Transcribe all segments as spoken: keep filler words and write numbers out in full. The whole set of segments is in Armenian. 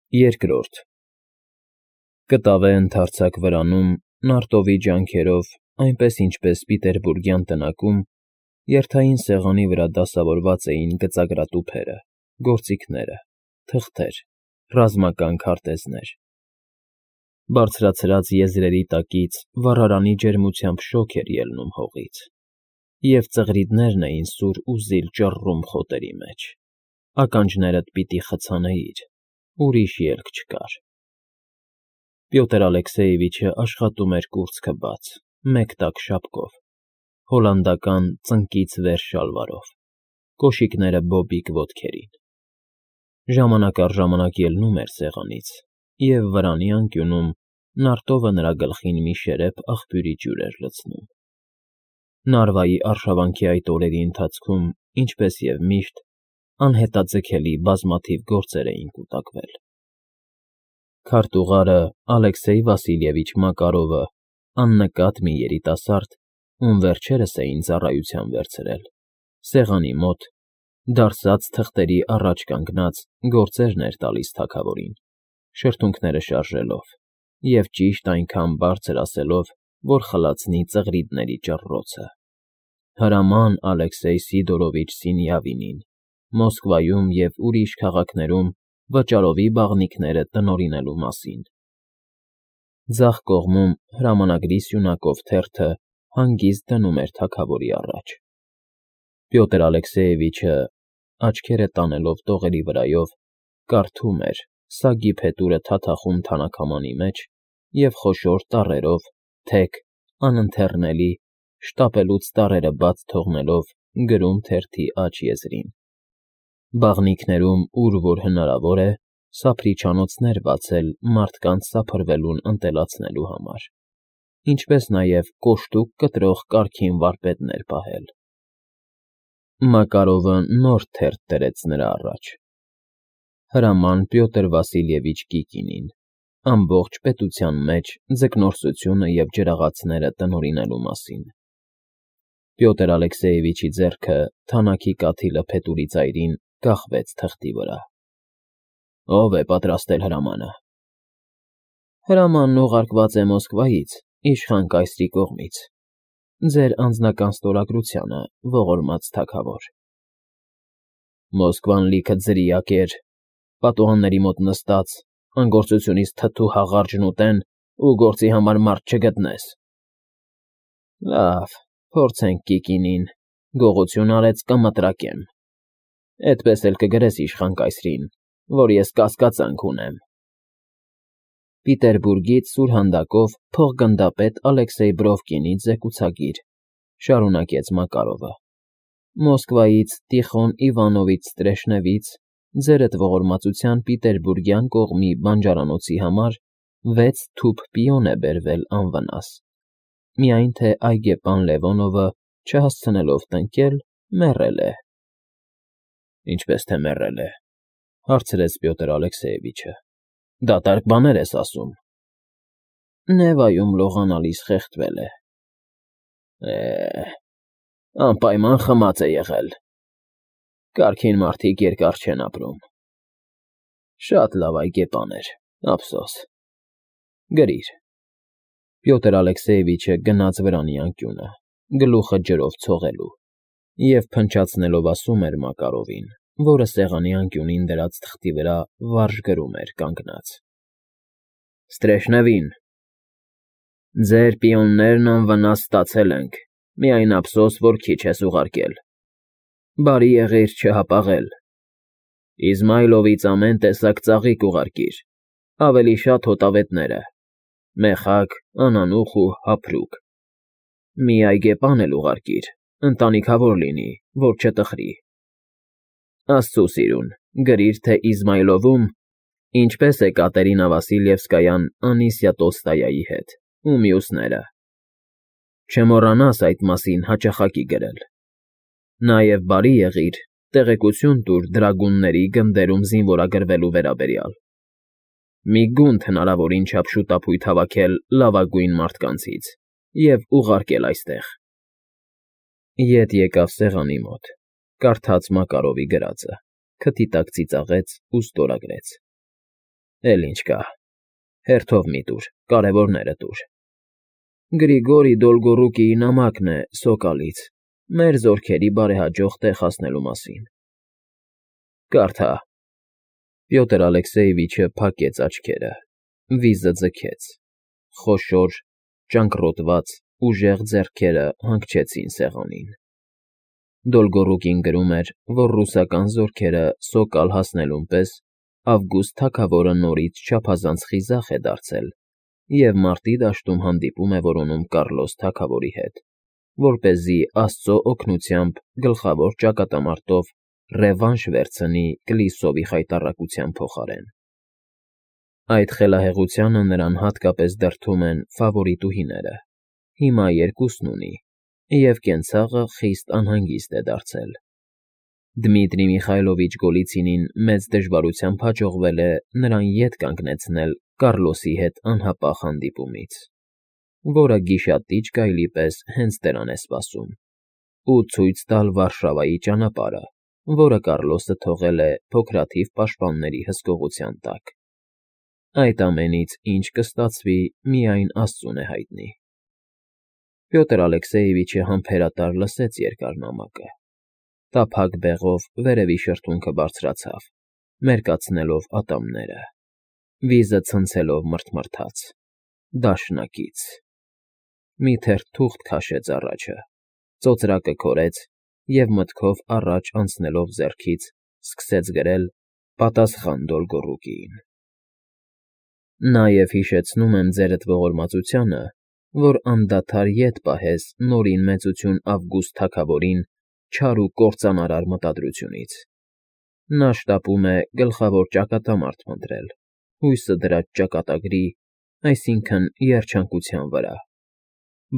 Երկրորդ Կտավե ընդարձակ վրանում, նարտովի ջանքերով, այնպես ինչպես պիտերբուրգյան տնակում, երթային սեղանի վրա դասավորված էին գծագրատուփերը, գործիքները, թղթեր, ռազմական քարտեզներ. բարձրացրած եզրերի տակից վառարանի ջերմությամբ շոգ էր ելնում հողից, և ծղրիդներն էին սուր ու զիլ ճռռում խոտերի մեջ, ականջներդ պիտի խցանեիր, ուրիշ ելք չկար։ Պյոտր Ալեքսեևիչը աշխատում էր կուրծքը բաց, մեկ տակ շապկով, հոլանդական ծնկից վեր շալվարով, կոշիկները բոբիկ ոտքերին։ Ժամանակ առ ժամանակ ելնում էր սեղանից, և վրանի անկյունում նարտովը նրա գլխին մի շերեպ աղբյուրի ջուր էր լցնում։ Նարվայի արշավանքի այդ օրերի ընթացքում, ինչպես և միշտ, անհետաձգելի բազմաթիվ գործեր էին կուտակվել։ Քարտուղարը Ալեքսեյ Վասիլևիչ Մակարովը, աննկատ մի երիտասարդ, ում վերջերս էին ծառայության վերցրել, սեղանի մոտ, դարսած թղթերի առաջ կանգնած, գործերն էր տալիս թագավորին, շրթունքները շարժելով և ճիշտ այնքան բարձր ասելով, որ խլացնի ծղրիդների ճռռոցը։ Հրաման Ալեքսեյ Սիդորովիչ Սինյավինին, Մոսկվայում և ուրիշ քաղաքներում վճարովի բաղնիքները տնօրինելու մասին։ Ձախ կողմում հրամանագրի սյունակով թերթը հանգիստ դնում էր թագավորի առաջ։ Պյոտր Ալեքսեևիչը, աչքերը տանելով տողերի վրայով, կարդում էր, սագի փետուրը թաթախում թանաքամանի մեջ և խոշոր տառերով, թեք, անընթեռնելի, շտապելուց տառերը բաց թողնելով, գրում թերթի աջ եզրին. բաղնիքներում, ուր որ հնարավոր է, սափրիչանոցներ բացել մարդկանց սափրվելուն ընտելացնելու համար, ինչպես նաև կոշտուկ կտրող կարգին վարպետներ պահել։ Մակարովը նոր թերթ դրեց նրա առաջ. հրաման Պյոտր Վասիլևիչ Կիկինին, ամբողջ պետության մեջ ձկնորսությունը և ջրաղացները տնօրինելու մասին։ Պյոտր Ալեքսեևիչի ձեռքը թանաքի կաթիլը փետուրի ծայրին կախվեց թղթի վրա։ Ո՞վ է պատրաստել հրամանը։ Հրամանն ուղարկված է Մոսկվայից, իշխան կայսրի կողմից, ձեր անձնական ստորագրությանը, ողորմած թագավոր։ Մոսկվան լիքը ձրիակ էր, պատուհանների մոտ նստած, անգործությունից թթու հաղարջն ուտեն ու գործի համար մարդ չգտնես։ Լավ, փորձենք Կիկինին, գողություն արեց կմտրակեմ, էդպես էլ կգրես իշխան կայսրին, որ ես կասկածանք ունեմ։ Պիտերբուրգից սուրհանդակով փոխգնդապետ Ալեքսեյ Բրովկինի ձեկուցագիր, շարունակեց Մակարովը, Մոսկվայից Տիխոն Իվանովիչ Ստրեշնևից ձերդ ողորմածության պիտերբուրգյան կողմի բանջարանոցի համար վեց թուփ պիոն է բերվել անվնաս, միայն թե այգեպան Լևոնովը, չհասցնելով տնկել, մեռել է։ Ինչպես թե մեռել է, հարցրեց Պյոտր Ալեքսեևիչը, դատարկ բաներ ես ասում։ Նևայում լողանալիս խեղդվել է։ Է, անպայման խմած է եղել։ Կարգին մարդիկ երկար չեն ապրում։ Շատ լավ այգեպան էր, ափսոս։ Գրիր։ Պյոտր Ալեքսեևիչը գնաց վրանի անկյունը, գլուխը ջրով ցողելու, և փնչացնելով ասում էր Մակարովին, որը սեղանի անկյունին դրած թղթի վրա վարժ գրում էր կանգնած. Ստրեշնևին, ձեր պիոններն անվնաս ստացել ենք, միայն ափսոս, որ քիչ ես ուղարկել։ Բարի եղիր չհապաղել։ Իզմայլովից ամեն տեսակ ծաղիկ ուղարկիր, ավելի շատ հոտավետները, մեխակ, անանուխ ու հափրուկ։ Մի այգեպան էլ ուղարկիր, ընտանիքավոր լինի, որ չտխրի։ Աստծո սիրուն, գրիր, թե Իզմայլովում ինչպես է Կատերինա Վասիլևսկայան Անիսիա Տոլստոյայի հետ ու մյուսները։ Չմոռանաս այդ մասին հաճախակի գրել։ Նաև բարի եղիր, տեղեկություն տուր դրագունների գնդերում զինվորագրվելու վերաբերյալ։ Մի գունդ հնարավորին չափ շուտափույթ հավաքել լավագույն մարդկանցից և ուղարկել այստեղ։ Ետ եկավ սեղանի մոտ, կարդաց Մակարովի գրածը, քթի տակ ծիծաղեց ու ստորագրեց։ Էլ ինչ կա, հերթով մի տուր, կարևորները տուր։ Գրիգորի Դոլգոռուկիի նամակն է Սոկալից, մեր զորքերի բարեհաջող տեղ հասնելու մասին։ Կարդա։ Պյոտր Ալեքսեևիչը փակեց աչքերը, վիզը ձգեց, խոշոր, ճանկռոտված, ուժեղ ձեռքերը հանգչեցին սեղանին։ Դոլգոռուկին գրում էր, որ ռուսական զորքերը Սոկալ հասնելուն պես Ավգուստ թագավորը նորից չափազանց խիզախ է դարձել և մարտի դաշտում հանդիպում է որոնում Կառլոս թագավորի հետ, որպեսզի աստծո օգնությամբ գլխավոր ճակատամարտով ռևանշ վերցնի Կլիսովի խայտառակության փոխարեն։ Այդ խելահեղությանը նրան հատկապես դրդում են ֆավորիտուհիները, հիմա երկուսն ունի, և կենցաղը խիստ անհանգիստ է դարձել։ Դմիտրի Միխայլովիչ Գոլիցինին մեծ դժվարությամբ հաջողվել է նրան ետ կանգնեցնել Կառլոսի հետ անհապաղ հանդիպումից, որը գիշատիչ գայլի պես հենց դրան է սպասում, ու ցույց տալ Վարշավայի ճանապարհը, որը Կառլոսը թողել է փոքրաթիվ պաշտպանների հսկողության տակ։ Այդ ամենից ինչ կստացվի, միայն աստծուն է հայտնի։ Պյոտր Ալեքսեևիչը համբերատար լսեց երկար նամակը, տափակ բեղով վերևի շրթունքը բարձրացավ, մերկացնելով ատամները, վիզը ցնցելով մռթմռթաց. Դաշնակից։ Մի թերթ թուղթ քաշեց առաջը, ծոծրակը քորեց և մտքով առաջ անցնելով ձեռքից սկսեց գրել պատասխան Դոլգոռուկիին։ Նաև հիշեցնում եմ ձերդ ողորմածությանը, որ անդադար ետ պահես Նորին Մեծություն Ավգուստ թագավորին չար ու կործանարար մտադրությունից։ Նա շտապում է գլխավոր ճակատամարտ փնտրել, հույսը դրած ճակատագրի, այսինքն՝ երջանկության վրա,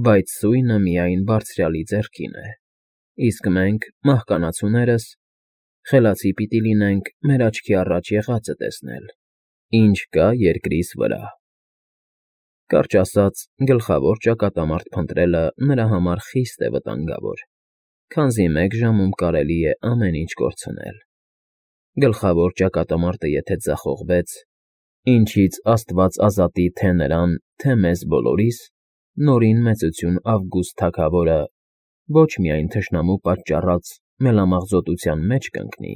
բայց սույնը միայն Բարձրյալի ձեռքին է, իսկ մենք, մահկանացուներս, խելացի պիտի լինենք մեր աչքի առաջ եղածը տեսնել, ինչ կա երկրիս վրա։ Կարճ ասած, գլխավոր ճակատամարտ փնտրելը նրա համար խիստ է վտանգավոր, քանզի մեկ ժամում կարելի է ամեն ինչ կորցնել։ Գլխավոր ճակատամարտը եթե ձախողվեց, ինչից աստված ազատի թե նրան, թե մեզ բոլորիս, Նորին Մեծություն Ավգուստ թագավորը ոչ միայն թշնամու պատճառած մելամաղձոտության մեջ կընկնի,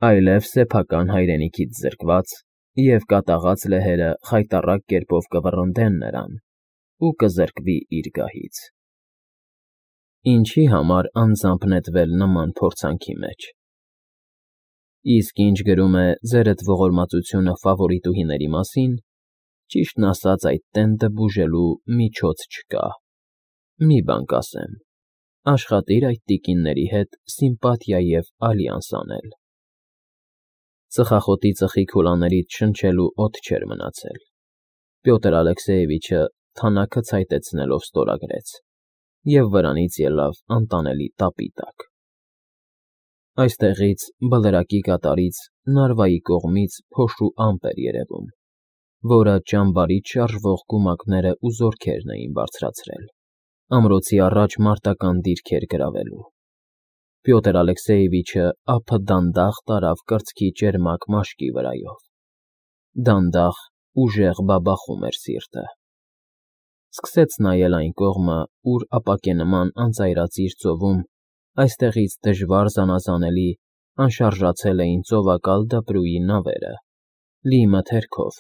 այլև սեփական հայրենիքից զրկված և կատաղած լեհերը խայտառակ կերպով կվռնդեն նրան ու կզրկվի իր գահից։ Ինչի համար անձամբ նետվել նման փորձանքի մեջ։ Իսկ ինչ գրում է ձերդ ողորմածությունը ֆավորիտուհիների մասին, ճիշտն ասած այդ տենդը բուժելու միջոց չկա։ Մի բան կասեմ. աշխատիր այդ տիկինների հետ սիմպաթիա և ալյանս անել։ Ծխախոտի ծխի քուլաներից շնչելու օդ չէր մնացել։ Պյոտր Ալեքսեևիչը թանաքը ցայտեցնելով ստորագրեց և վրանից ելավ անտանելի տապի տակ։ Այստեղից, Բլրակի կատարից, Նարվայի կողմից փոշու ամպ էր երևում, որը ճամբարից շարժվող կումակներն ու զորքերն էին բարձրացրել, ամրոցի առաջ մարտական դիրքեր գրավելու։ Պյոտր Ալեքսեևիչը ափը դանդաղ տարավ կրծքի ճերմակ մաշկի վրայով։ Դանդաղ, ուժեղ բաբախում էր սիրտը։ Սկսեց նայել այն կողմը, ուր ապակենման անծայրածիր ծովում այստեղից դժվար զանազանելի անշարժացել էին ծովակալ դպրուի նավերը, լի մթերքով,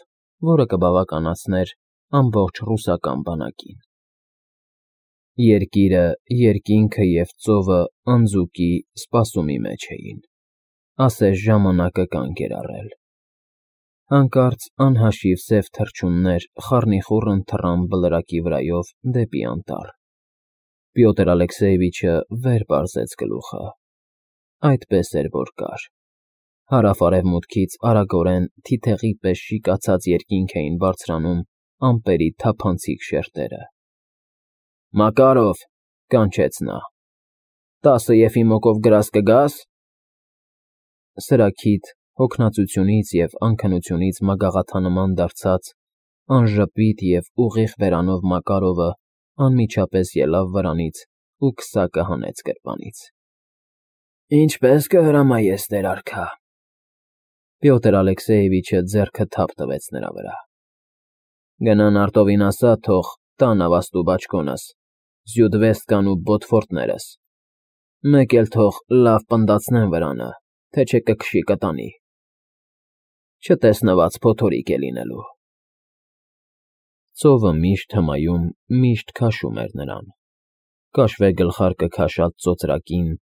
որը կբավականացներ ամբողջ ռուսական բանակին։ Երկիրը, երկինքը և ծովը անձուկի, սպասումի մեջ էին, ասես ժամանակը կանգ էր առել։ Հանկարծ անհաշիվ սև թռչուններ խառնիխուռն թռան Բլրակի վրայով դեպի անտառ։ Պյոտր Ալեքսեևիչը վեր պարզեց գլուխը։ Այդպես էր, որ կար։ Հարավ֊արևմուտքից արագորեն թիթեղի պես շիկացած երկինք էին բարձրանում ամպերի թափանցիկ շերտերը։ Մակարով,֊ կանչեց նա,֊ տասը Եֆիմովկով գրազ կգա՞ս։ Սրաքիթ, հոգնածությունից և անքնությունից մագաղաթանման դարձած, անժպիտ և ուղիղ բերանով Մակարովը անմիջապես ելավ վրանից ու քսակը հանեց գրպանից։ ֊ Ինչպե՞ս կհրամայես, տեր արքա։ Պյոտր Ալեքսեևիչը ձեռքը թափ տվեց նրա վրա։ Գնան արտովին ասա, թող տան ավաստու բաճկոնս, զյուդվեստկան ու բոտֆորտներս, մեկ էլ թող լավ պնդացնեն վրանը, թե չէ կքշի կտանի, չտեսնված փոթորիկ է լինելու։ Ծովը միշտ հմայում, միշտ քաշում էր նրան, կաշվե գլխարկը քաշած ծոծրակին,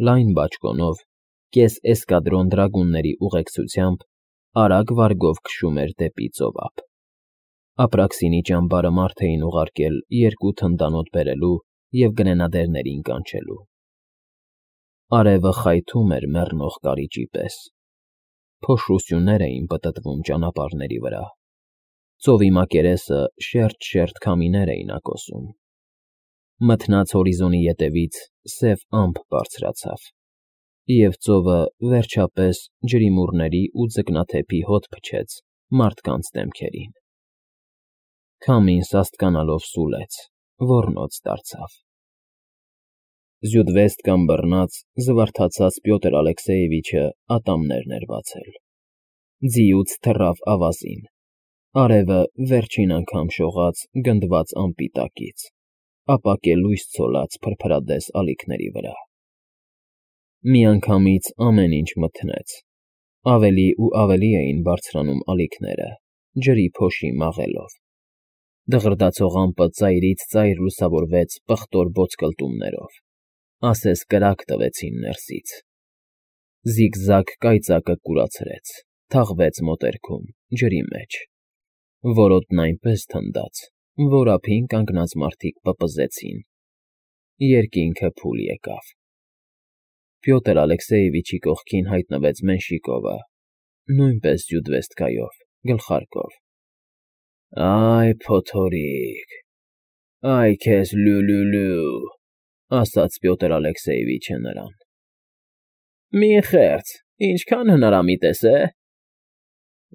լայն բաճկոնով, կես էսկադրոն դրագունների ուղեկցությամբ արագ վարգով քշում էր դեպի ծովափ։ Ապրաքսինի ճամբարը մարդ էին ուղարկել երկու թնդանոթ բերելու և գրենադերներին կանչելու։ Արևը խայթում էր մեռնող կարիճի պես։ Փոշու սյուներ էին պտտվում ճանապարհների վրա։ Ծովի մակերեսը շերտ-շերտ քամիներ էին ակոսում։ Մթնած հորիզոնի ետևից սև ամպ բարձրացավ, և ծովը, վերջապես, ջրիմուռների ու ձկնաթեփի հոտ փչեց մարդկանց դեմքերին։ Քամին սաստկանալով սուլեց, ոռնոց դարձավ։ Զյուդվեստկան բռնած, զվարթացած Պյոտր Ալեքսեևիչը ատամներն էր բացել։ Ձիուց թռավ ավազին։ Արևը վերջին անգամ շողաց գնդված ամպի տակից, ապա կելույս ցոլած փրփրադես ալիքների վրա։ Միանգամից ամեն ինչ մթնեց, ավելի ու ավելի էին բարձրանում ալիքները, ջրի փոշի մաղելով։ Դղրդացող ամպը ծայրից ծայր լուսավորվեց պղտոր բոցկլտումներով, ասես կրակ տվեցին ներսից։ Զիգզագ կայծակը կուրացրեց, թաղվեց մոտերքում, ջրի մեջ։ Որոտն այնպես թնդաց, որ ափին կանգնած մարդիկ պպզեցին։ Երկինքը փուլ եկավ։ Պյոտր Ալեքսեևիչի կողքին հայտնվեց Մենշիկովը, նույնպես զյուդվեստկայով, գլխարկով։ «Այ փոթորիկ, այ քեզ լու֊լու֊լու», ասաց Պյոտր Ալեքսեևիչը նրան։ «Մի խեղճ, ինչքան հնարամիտ ես, է՞»։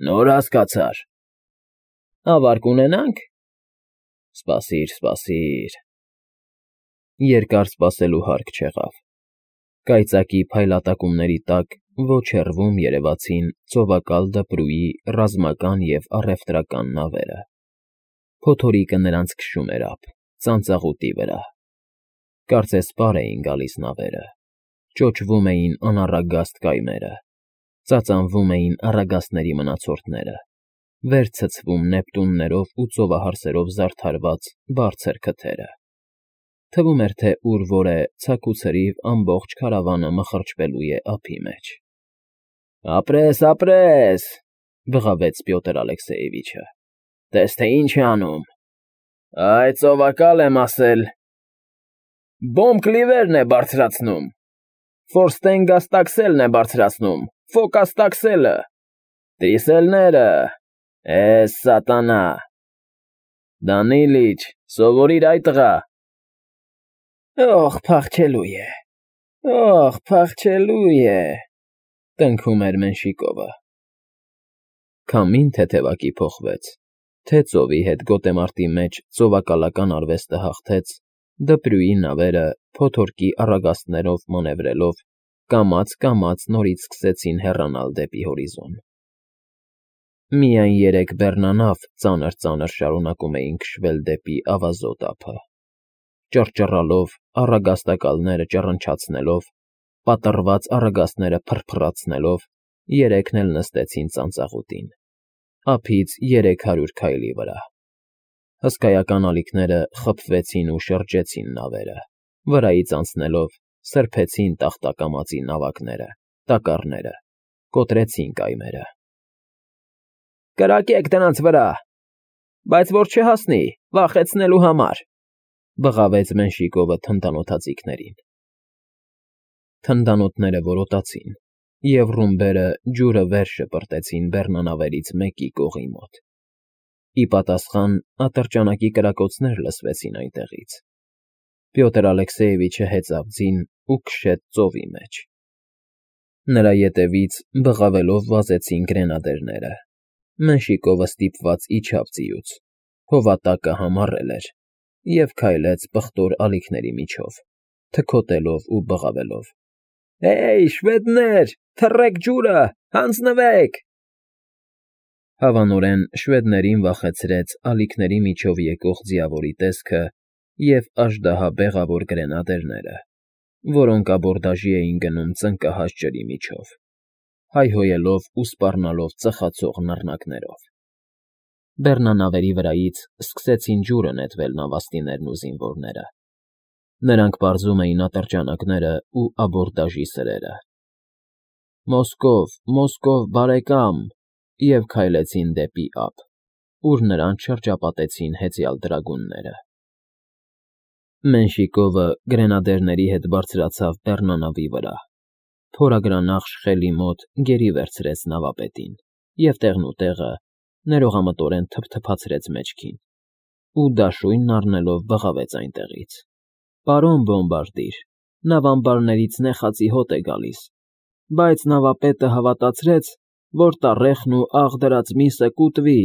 «Նոր հասկացար»։ «Ավար կունենա՞նք»։ «Սպասիր, սպասիր»։ Երկար սպասելու հարկ չեղավ։ Կայծակի փայլատակումների տակ ոչ հեռվում երևացին ծովակալ դպրուի ռազմական և առևտրական նավերը։ Փոթորիկը նրանց քշում էր ափ, ծանծաղուտի վրա։ Կարծես պար էին գալիս նավերը, ճոճվում էին անառագաստ կայմերը, ծածանվում էին առագաստների մնացորդները, վեր ցցվում նեպտուններով ու ծովահարսերով զարդարված բարձր քթերը։ Թվում էր, թե ուր֊որ է ցաքուցրիվ ամբողջ քարավանը մխրճվելու է ափի մեջ։ «Ապրես, ապրես», բղավեց Պյոտր Ալեքսեևիչը։ «Տես թե ինչ է անում։ Այ ծովակալ եմ ասել։ Բոմբ֊կլիվերն է բարձրացնում, ֆորստենգաստաքսելն է բարձրացնում, ֆոկաստաքսելը, տրիսելները, էս սատանա։ Դանիլիչ, սովորիր, այ տղա»։ «Օխ, փախչելու է, օխ, փախչելու է», տնքում էր Մենշիկովը։ Քամին թեթևակի փոխվեց, թե ծովի հետ գոտեմարտի մեջ ծովակալական արվեստը հաղթեց, դպրուի նավերը, փոթորկի առագաստներով մանևրելով, կամաց֊կամաց նորից սկսեցին հեռանալ դեպի հորիզոն։ Միայն երեք բեռնանավ ծանր֊ծանր շարունակում էին քշվել դեպի ավազոտ ափը։ Ճռճռալով, առագաստակալները ճռնչացնելով, պատռված առագաստները փռփռացնելով, երեքն էլ նստեցին ծանծաղուտին, ափից երեք հարյուր քայլի վրա։ Հսկայական ալիքները խփվեցին ու շրջեցին նավերը, վրայից անցնելով, սրբեցին տախտակամածի նավակները, տակառները, կոտրեցին կայմերը։ «Կրակեք դրանց վրա, բայց որ չհասնի, վախեցնելու համար», բղավեց Մենշիկովը թնդանոթաձիգներին։ Թնդանոթները որոտացին, և ռումբերը ջուրը վեր շպրտեցին բեռնանավերից մեկի կողի մոտ։ Ի պատասխան ատրճանակի կրակոցներ լսվեցին այնտեղից։ Պյոտր Ալեքսեևիչը հեծավ ձին ու քշեց ծովի մեջ։ Նրա ետևից բղավելով վազեցին գրենադերները։ Մենշիկովը ստիպված իջավ ձիուց, հովատակը համառել էր, և քայլեց պղտոր ալիքների միջով, թքոտելով ու բղավելով։ Հեյ, շվեդներ, թռեք ջուրը, հանձնվեք… Հավանորեն շվեդներին վախեցրեց ալիքների միջով եկող ձիավորի տեսքը և աժդահաբեղավոր գրենադերները, որոնք աբորդաժի էին գնում ծնկահաս ջրի միջով, հայհոյելով ու սպառնալով ծխացող նռնակներով… Բեռնանավերի վրայից սկսեցին ջուրը նետվել նավաստիներն ու զինվորները. նրանք պարզում էին ատրճանակներն ու աբորդաժի սրերը։ «Մոսկով, Մոսկով, բարեկամ…» և քայլեցին դեպի ափ, ուր նրանց շրջապատեցին հեծյալ դրագունները։ Մենշիկովը գրենադերների հետ բարձրացավ բեռնանավի վրա, փորագրանախշ խելի մոտ գերի վերցրեց նավապետին և տեղնուտեղը ներողամտորեն թփթփացրեց մեջքին ու, դաշույնն առնելով, բղավեց այնտեղից. «Պարոն բոմբարդիր, նավամբարներից նեխածի հոտ է գալիս, բայց նավապետը հավատացրեց, որ տառեխն ու աղ դրած միսը կուտվի,